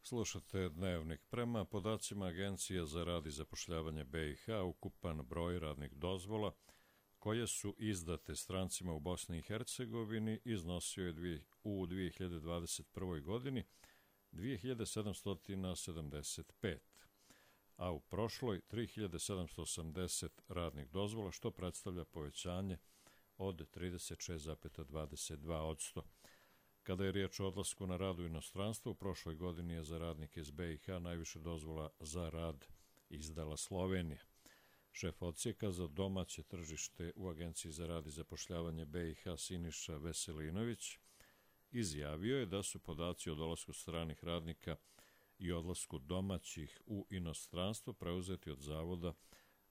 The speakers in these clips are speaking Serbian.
Slušate Dnevnik. Prema podacima Agencije za rad i zapošljavanje BiH, ukupan broj radnih dozvola koje su izdate strancima u Bosni i Hercegovini iznosio je u 2021. godini 2775, a u prošloj 3780 radnih dozvola, što predstavlja povećanje od 36,22%. Kada je riječ o odlasku na rad u inostranstvo, u prošloj godini je za radnike iz BiH najviše dozvola za rad izdala Slovenija. Šef odsjeka za domaće tržište u Agenciji za rad i zapošljavanje BiH Siniša Veselinović izjavio je da su podaci o dolasku stranih radnika i odlasku domaćih u inostranstvo preuzeti od Zavoda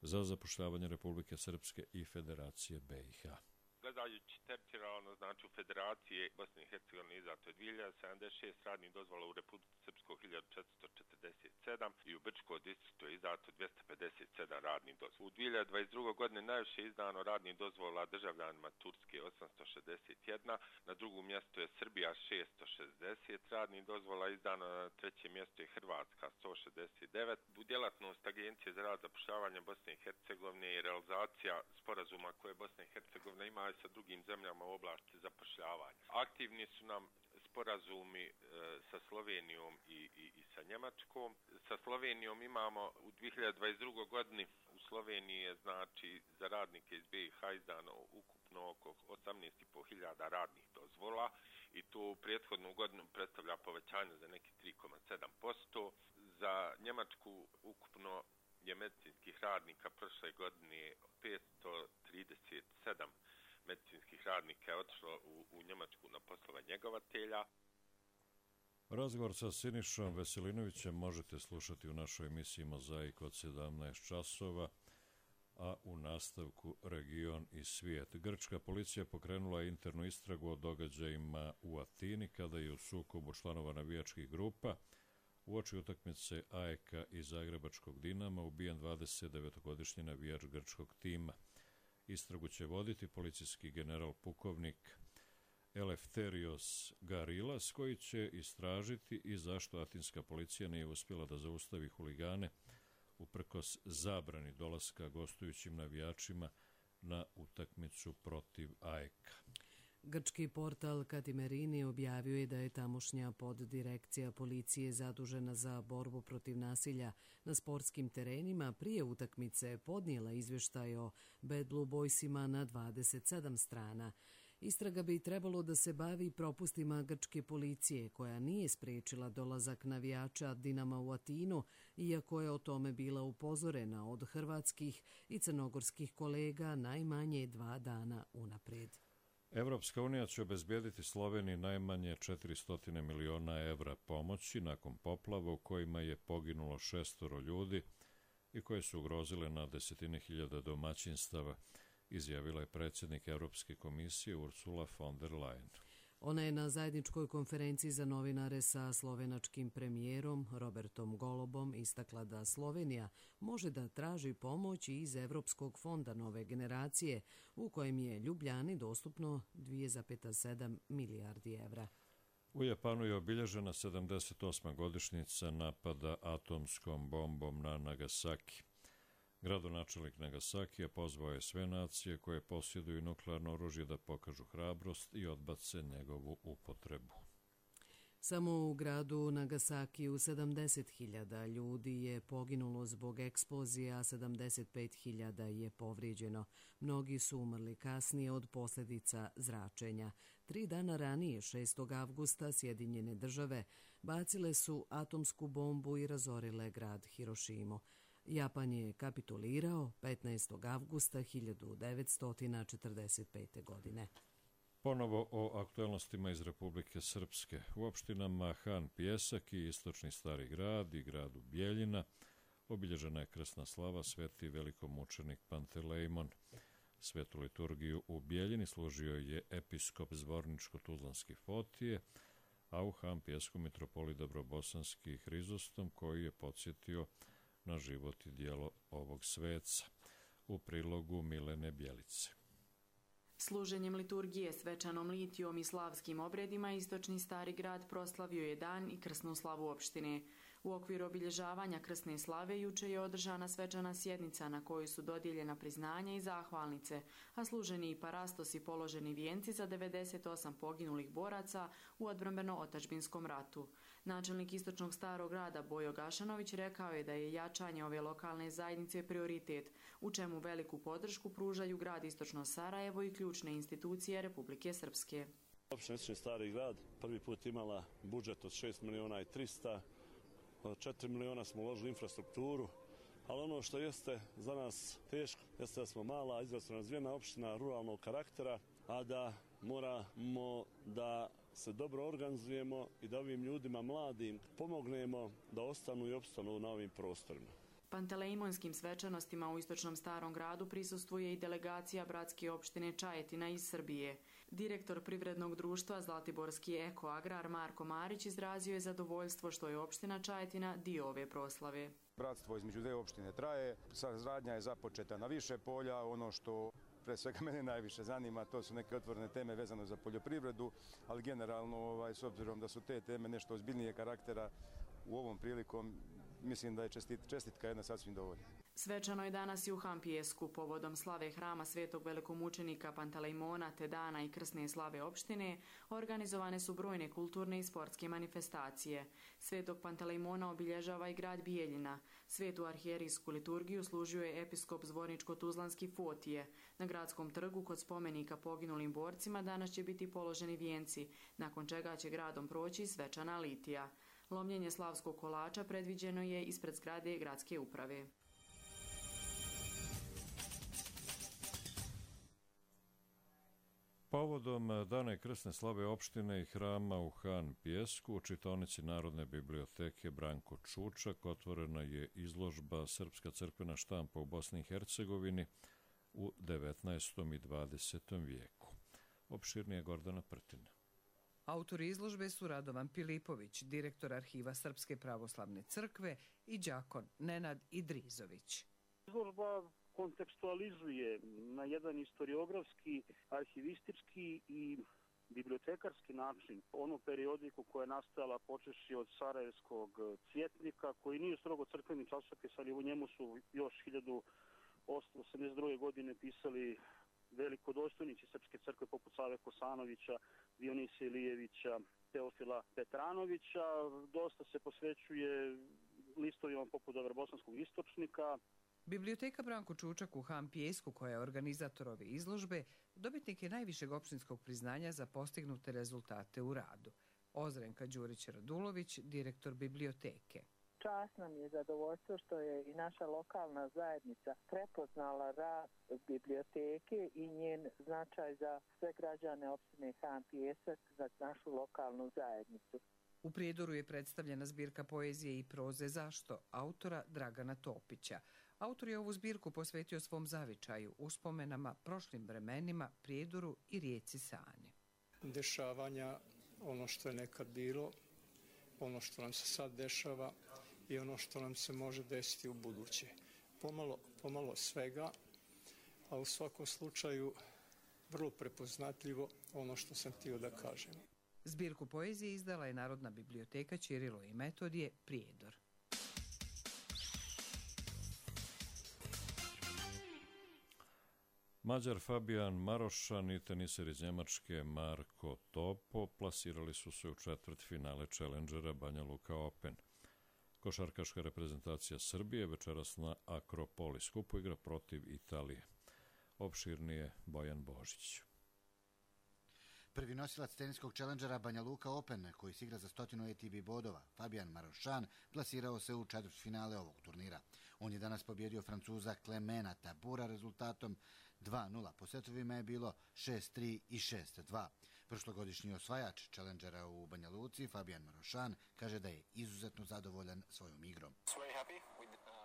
za zapošljavanje Republike Srpske i Federacije BiH. Gledajući teritorijalno, znači u Federaciji Bosne i Hercegovine izdato je 2076 radnih dozvola, u Republici Srpskoj 1447 i u Brčkom distriktu je izdato 257 radnih dozvola. U 2022. godine najviše izdano radnih dozvola državljanima Turske 861, na drugom mjestu je Srbija 660 radnih dozvola, izdano na trećem mjestu je Hrvatska 169. U djelatnost Agencije za rad zapošljavanja Bosne i Hercegovine je realizacija sporazuma koje Bosna i Hercegovina ima sa drugim zemljama u oblasti zapošljavanja. Aktivni su nam sporazumi sa Slovenijom i sa Njemačkom. Sa Slovenijom imamo u 2022. godini u Sloveniji je znači za radnike iz BiH izdano ukupno oko 18.500 radnih dozvola i to u prethodnu godinu predstavlja povećanje za neki 3,7%. Za Njemačku ukupno je medicinskih radnika prošle godine 537 medicinskih radnika je otišlo u Njemačku na poslove njegovatelja. Razgovor sa Sinišom Veselinovićem možete slušati u našoj emisiji Mozaik od 17 časova, a u nastavku Region i svijet. Grčka policija pokrenula internu istragu o događajima u Atini kada je u sukobu članova navijačkih grupa uoči utakmice AEK i Zagrebačkog Dinama ubijen 29-godišnji navijač grčkog tima. Istragu će voditi policijski general pukovnik Eleftherios Garilas, koji će istražiti i zašto atinska policija nije uspjela da zaustavi huligane uprkos zabrani dolaska gostujućim navijačima na utakmicu protiv AEK-a. Grčki portal Katimerini objavio je da je tamošnja poddirekcija policije zadužena za borbu protiv nasilja na sportskim terenima prije utakmice podnijela izvještaj o Bad Blue Boysima na 27 strana. Istraga bi trebalo da se bavi propustima grčke policije, koja nije spriječila dolazak navijača Dinama u Atinu, iako je o tome bila upozorena od hrvatskih i crnogorskih kolega najmanje 2 dana unaprijed. Evropska unija će obezbijediti Sloveniji najmanje 400 miliona evra pomoći nakon poplava u kojima je poginulo 6 ljudi i koje su ugrozile na desetine hiljada domaćinstava, izjavila je predsjednik Evropske komisije Ursula von der Leyen. Ona je na zajedničkoj konferenciji za novinare sa slovenačkim premijerom Robertom Golobom istakla da Slovenija može da traži pomoć iz Evropskog fonda nove generacije, u kojem je Ljubljani dostupno 2,7 milijardi evra. U Japanu je obilježena 78. godišnjica napada atomskom bombom na Nagasaki. Gradonačelnik Nagasakija pozvao je sve nacije koje posjeduju nuklearno oružje da pokažu hrabrost i odbace njegovu upotrebu. Samo u gradu Nagasakiju 70.000 ljudi je poginulo zbog eksplozije, a 75.000 je povrijeđeno. Mnogi su umrli kasnije od posljedica zračenja. 3 dana ranije, 6. avgusta, Sjedinjene države bacile su atomsku bombu i razorile grad Hirošimu. Japan je kapitulirao 15. avgusta 1945. godine. Ponovo o aktualnostima iz Republike Srpske. U opštinama Han Pjesak i Istočni Stari grad i gradu Bjeljina obilježena je krsna slava Sveti velikomučenik Pantelejmon. Svetu liturgiju u Bjeljini služio je episkop Zvorničko-Tuzlanski Fotije, a u Han Pjesku mitropolit Dobrobosanski Hrizostom, koji je podsjetio na život i dijelo ovog sveca. U prilogu Milene Bjelice. Služenjem liturgije, svečanom litijom i slavskim obredima, istočni Stari grad proslavio je dan i krsnu slavu opštine. U okviru obilježavanja krsne slave juče je održana svečana sjednica na kojoj su dodijeljena priznanja i zahvalnice, a služeni i parastos i položeni vijenci za 98 poginulih boraca u odbrambeno-otadžbinskom ratu. Načelnik istočnog Starog grada Bojo Gašanović rekao je da je jačanje ove lokalne zajednice prioritet, u čemu veliku podršku pružaju grad Istočno Sarajevo i ključne institucije Republike Srpske. Opština Istočni Stari grad prvi put imala budžet od 6 miliona i 300, 4 miliona smo uložili infrastrukturu, ali ono što jeste za nas teško jeste da smo mala, izrazito razvijena opština ruralnog karaktera, a da moramo da se dobro organizujemo i da ovim ljudima mladim pomognemo da ostanu i opstanu na ovim prostorima. Pantelejmonskim svečanostima u Istočnom Starom gradu prisustvuje i delegacija bratske opštine Čajetina iz Srbije. Direktor privrednog društva Zlatiborski Eko Agrar Marko Marić izrazio je zadovoljstvo što je opština Čajetina dio ove proslave. Bratstvo između dve opštine traje, saradnja je započeta na više polja, ono što pre svega mene najviše zanima, to su neke otvorene teme vezane za poljoprivredu, ali generalno, s obzirom da su te teme nešto ozbiljnije karaktera, u ovom prilikom mislim da je čestitka jedna sasvim dovoljna. Svečano je danas i u Hampijesku povodom slave hrama Svetog velikomučenika Pantelejmona te dana i krsne slave opštine organizovane su brojne kulturne i sportske manifestacije. Svetog Pantelejmona obilježava i grad Bijeljina. Svetu arhijerijsku liturgiju služio je episkop Zvorničko-Tuzlanski Fotije. Na gradskom trgu kod spomenika poginulim borcima danas će biti položeni vijenci, nakon čega će gradom proći svečana litija. Lomljenje slavskog kolača predviđeno je ispred zgrade gradske uprave. Povodom dana krsne slave opštine i hrama u Han Pijesku u čitaonici Narodne biblioteke Branko Čučak otvorena je izložba Srpska crkvena štampa u Bosni i Hercegovini u 19. i 20. vijeku. Opširnije Gordana Prtina. Autori izložbe su Radovan Pilipović, direktor Arhiva Srpske pravoslavne crkve, i đakon Nenad Idrizović. Izložba kontekstualizuje na jedan historiografski, arhivistički i bibliotekarski način onu periodiku koja je nastajala počevši od Sarajevskog cvjetnika, koji nije strogo crkveni časopis, ali u njemu su još 1882. godine pisali velikodostojnici Srpske crkve poput Save Kosanovića, Dionisa Ilijevića, Teofila Petranovića. Dosta se posvećuje listovima poput Bosanskog istočnika. Biblioteka Branko Čučak u Han Pijesku, koja je organizator ove izložbe, dobitnik je najvišeg opštinskog priznanja za postignute rezultate u radu. Ozrenka Đurić-Radulović, direktor biblioteke. Čast nam je zadovoljstvo što je i naša lokalna zajednica prepoznala rad biblioteke i njen značaj za sve građane opštine Han Pijesak, za našu lokalnu zajednicu. U Prijedoru je predstavljena zbirka poezije i proze Zašto, autora Dragana Topića. Autor je ovu zbirku posvetio svom zavičaju, uspomenama, prošlim vremenima, Prijedoru i rijeci Sani. Dešavanja, ono što je nekad bilo, ono što nam se sad dešava i ono što nam se može desiti u buduće. Pomalo svega, a u svakom slučaju vrlo prepoznatljivo ono što sam htio da kažem. Zbirku poezije izdala je Narodna biblioteka Ćirilo i Metodije Prijedor. Mađar Fabijan Marošan i teniser iz Njemačke Marko Topo plasirali su se u četvrtfinale Challengera Banja Luka Open. Košarkaška reprezentacija Srbije večeras na Akropoli skupu igra protiv Italije. Opširnije Bojan Božić. Prvi nosilac teniskog Challengera Banja Luka Open, koji se igra za 100 ATP bodova, Fabijan Marošan, plasirao se u četvrtfinale ovog turnira. On je danas pobjedio Francuza Clemena Tabura rezultatom 2-0. Po setovima je bilo 6-3 i 6-2. Prošlogodišnji osvajač Challengera u Banja Luci, Fabijan Marošan, kaže da je izuzetno zadovoljan svojom igrom.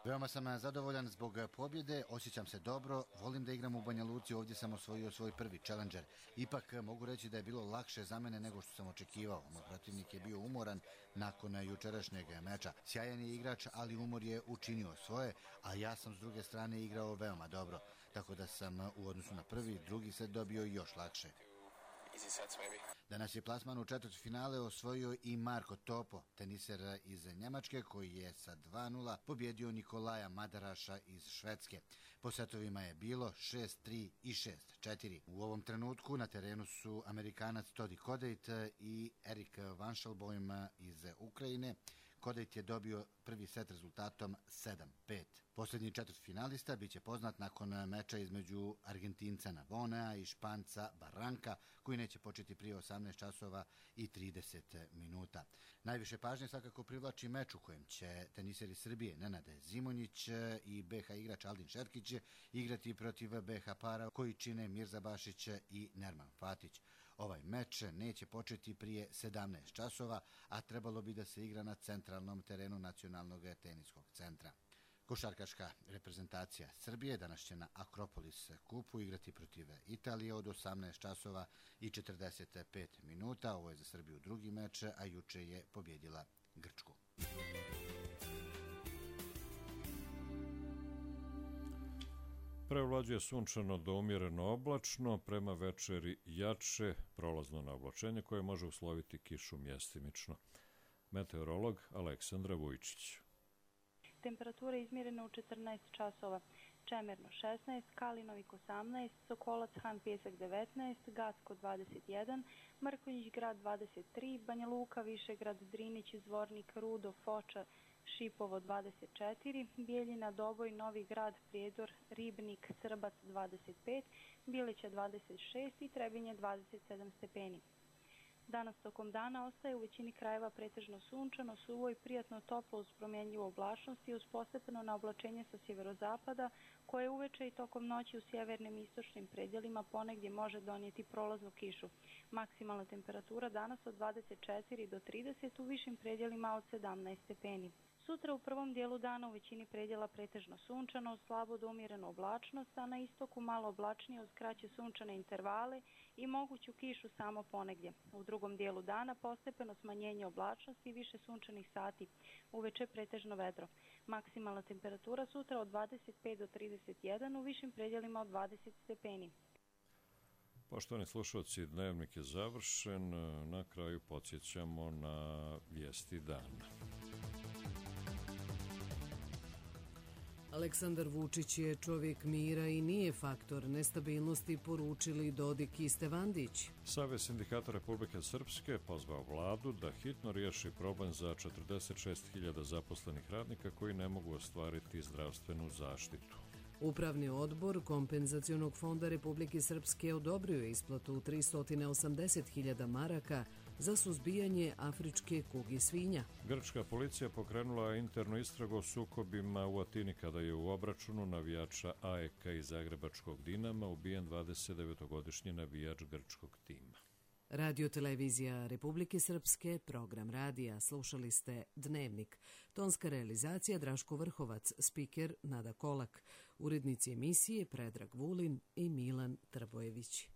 Veoma sam zadovoljan zbog pobjede, osjećam se dobro, volim da igram u Banja Luci, ovdje sam osvojio svoj prvi Challenger. Ipak mogu reći da je bilo lakše za mene nego što sam očekivao. Moj protivnik je bio umoran nakon jučerašnjeg meča. Sjajan je igrač, ali umor je učinio svoje, a ja sam s druge strane igrao veoma dobro. tako da sam u odnosu na prvi i drugi set dobio još lakše. Danas je plasman u četvrtfinale osvojio i Marko Topo, teniser iz Njemačke, koji je sa 2:0 pobjedio Nikolaja Madaraša iz Švedske. Po setovima je bilo 6-3 i 6-4. U ovom trenutku na terenu su Amerikanac Todi Kodejt i Erik Vanšalbojm iz Ukrajine. Kodejt je dobio prvi set rezultatom 7-5. Posljednji četvrtfinalista biće poznat nakon meča između Argentinca Navonea i Španca Barranka, koji neće početi prije 18 časova i 30 minuta. Najviše pažnje svakako privlači meč u kojem će teniseri Srbije Nenad Zimonjić i BH igrač Aldin Šerkić igrati protiv BH para koji čine Mirza Bašić i Nerman Fatić. Ovaj meč neće početi prije 17 časova, a trebalo bi da se igra na centralnom terenu Nacionalnog teniskog centra. Košarkaška reprezentacija Srbije danas će na Akropolis kupu igrati protiv Italije od 18 časova i 45 minuta. Ovo je za Srbiju drugi meč, a juče je pobjedila Grčku. Prevlađuje sunčano do umjereno oblačno, prema večeri jače prolazno na oblačenje koje može usloviti kišu mjestimično. Meteorolog Aleksandra Vujčić. Temperatura je izmjerena u 14 časova. Čemerno 16, Kalinovik 18, Sokolac Han Pjesak 19, Gacko 21, Mrkonjić grad 23, Banja Luka, Višegrad, Drinić, Zvornik, Rudo, Foča, Šipovo 24, Bijeljina, Doboj, Novi grad, Prijedor, Ribnik, Srbac 25, Bilića 26 i Trebinje 27 stepeni. Danas tokom dana ostaje u većini krajeva pretežno sunčano, suvo i prijatno toplo uz promjenjivu oblačnost i uz postepeno na oblačenje sa sjeverozapada, koje uveče i tokom noći u sjevernim i istočnim predjelima ponegdje može donijeti prolaznu kišu. Maksimalna temperatura danas od 24 do 30, u višim predjelima od 17 stepeni. Sutra u prvom dijelu dana u većini predjela pretežno sunčano, slabo do umjerenu oblačnost, a na istoku malo oblačnije uz kraće sunčane intervale i moguću kišu samo ponegdje. U drugom dijelu dana postepeno smanjenje oblačnosti i više sunčanih sati. Uveče pretežno vedro. Maksimalna temperatura sutra od 25 do 31, u višim predjelima od 20 stepeni. Poštovani slušalci, dnevnik je završen. Na kraju podsjećamo na vijesti dana. Aleksandar Vučić je čovjek mira i nije faktor nestabilnosti, poručili Dodik i Stevandić. Savez sindikata Republike Srpske pozvao vladu da hitno riješi problem za 46.000 zaposlenih radnika koji ne mogu ostvariti zdravstvenu zaštitu. Upravni odbor Kompenzacionog fonda Republike Srpske odobrio je isplatu 380.000 maraka za suzbijanje afričke kuge svinja. Grčka policija pokrenula internu istragu o sukobima u Atini kada je u obračunu navijača AEK iz zagrebačkog Dinama ubijen 29-godišnji navijač grčkog tima. Radio-televizija Republike Srpske, program radija. Slušali ste Dnevnik. Tonska realizacija Draško Vrhovac, spiker Nada Kolak. Urednici emisije Predrag Vulin i Milan Trbojević.